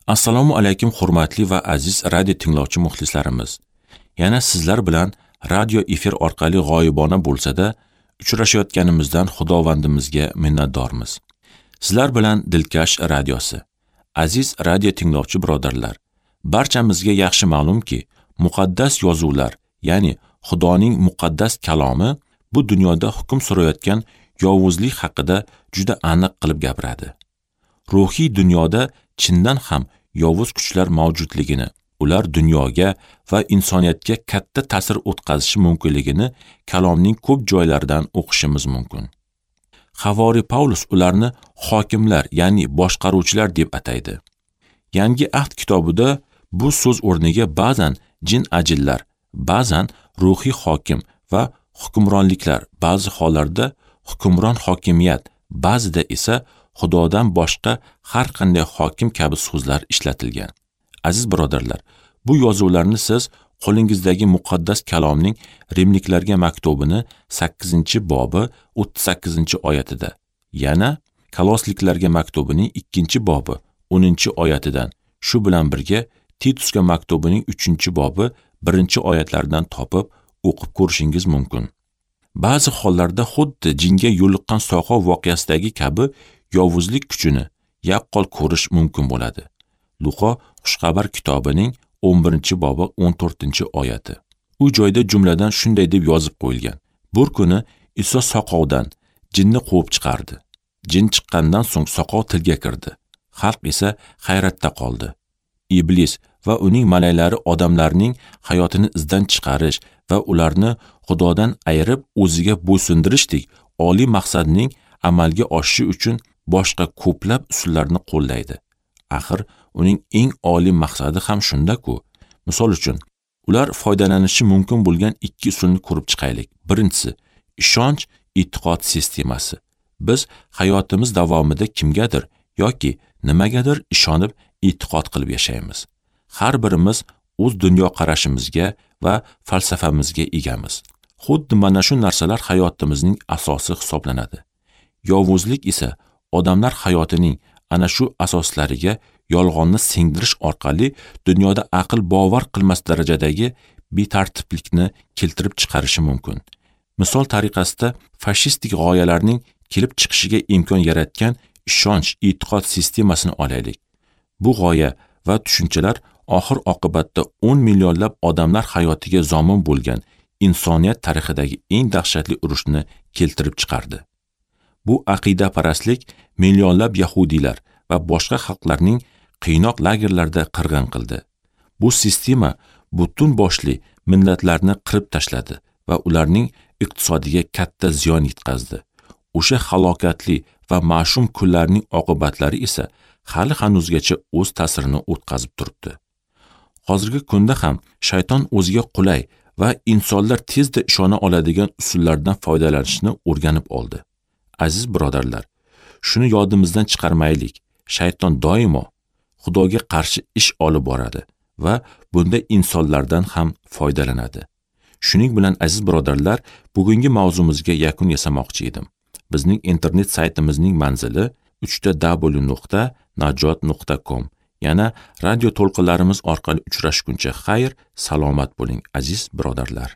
Assalomu alaykum hurmatli va aziz radio tinglovchi muxlislarimiz. Yana sizlar bilan radio efir orqali g'oyibona bo'lsa-da uchrashayotganimizdan Xudovandimizga minnatdormiz. Sizlar bilan Dilkash radiosi. Aziz radio tinglovchi birodarlar, barchamizga yaxshi ma'lumki, muqaddas yozuvlar, ya'ni Xudoning muqaddas kalomi bu dunyoda hukm surayotgan yovuzlik haqida juda aniq qilib gapiradi. Ruhiy dunyoda chindan ham yovuz kuchlar mavjudligini, ular dunyoga va insoniyatga katta ta'sir o'tkazishi mumkinligini kalomning ko'p joylaridan o'qishimiz mumkin. Havori Pavlus ularni hokimlar, ya'ni boshqaruvchilar deb ataydi. Yangi ahd kitobida bu so'z o'rniga ba'zan jin-ajinlar, ba'zan ruhiy hokim va hukmronliklar, ba'zi hollarda hukmron hokimiyat, ba'zida esa Xudodan boshqa har qanday hokim kabi so'zlar ishlatilgan. Aziz birodarlar, bu yozuvlarni siz qo'lingizdagi muqaddas kalomning Rimliklarga maktubini 8-bobi 38-oyatida, yana Kolosliklarga maktubining 2-bobi 10-oyatidan, shu bilan birga Titusga maktubining 3-bobi 1-oyatlaridan topib o'qib ko'rishingiz mumkin. Ba'zi hollarda xuddi jinga yo'liqqan soqov voqeasidagi kabi yovuzlik kuchini yaqqol ko'rish mumkin bo'ladi. Luqo Xushxabar kitobining 11-bobi 14-oyati. U joyda jumladan shunday deb yozib qo'yilgan: Bir kuni Iso soqovdan jinni quvib chiqardi. Jin chiqqandan so'ng soqov tilga kirdi. Xalq esa hayratda qoldi. Iblis va uning malaylari odamlarning hayotini izdan chiqarish va ularni Xudodan ayirib o'ziga bo'ysundirishdek oliy maqsadning amalga oshishi uchun boshqa ko'plab usullarni qo'llaydi. Axir uning eng oliy maqsadi ham shunda-ku. Misol uchun, ular foydalanishi mumkin bo'lgan ikki usulni ko'rib chiqaylik. Birinchisi, ishonch e'tiqod sistemasi. Biz hayotimiz davomida kimgadir yoki nimagadir ishonib e'tiqod qilib yashaymiz. Har birimiz o'z dunyoqarashimizga va falsafamizga egamiz. Xuddi mana shu narsalar hayotimizning asosi hisoblanadi. Yovuzlik esa odamlar hayotining ana shu asoslariga yolg'onni singdirish orqali dunyoda aql bovar qilmas darajadagi betartiblikni keltirib chiqarishi mumkin. Misol tariqasida fashistik g'oyalarning kelib chiqishiga imkon yaratgan ishonch e'tiqod sistemasini olaylik. Bu g'oya va tushunchalar oxir oqibatda 10 millionlab odamlar hayotiga zomin bo'lgan insoniyat tarixidagi eng dahshatli urushni keltirib chiqardi. Bu aqidaparastlik millionlab yahudiylar va boshqa xalqlarning qiynoq lagerlarda qirg'in qildi. Bu sistema butun boshli millatlarni qirib tashladi va ularning iqtisodiga katta ziyon yetkazdi. O'sha halokatli va mash'um kunlarning oqibatlari esa hali hanuzgacha o'z ta'sirini o'tkazib turibdi. Hozirgi kunda ham shayton o'ziga qulay va insonlar tezda ishona oladigan usullardan foydalanishni o'rganib oldi. Aziz birodarlar, shuni yodimizdan chiqarmaylik. Shayton doimo Xudoga qarshi ish olib boradi va bunda insonlardan ham foydalanadi. Shuning bilan aziz birodarlar, bugungi mavzumizga yakun yasamoqchi edim. Bizning internet saytimizning manzili www.najot.com. Yana radio to'lqinlarimiz orqali uchrashguncha xayr, salomat bo'ling aziz birodarlar.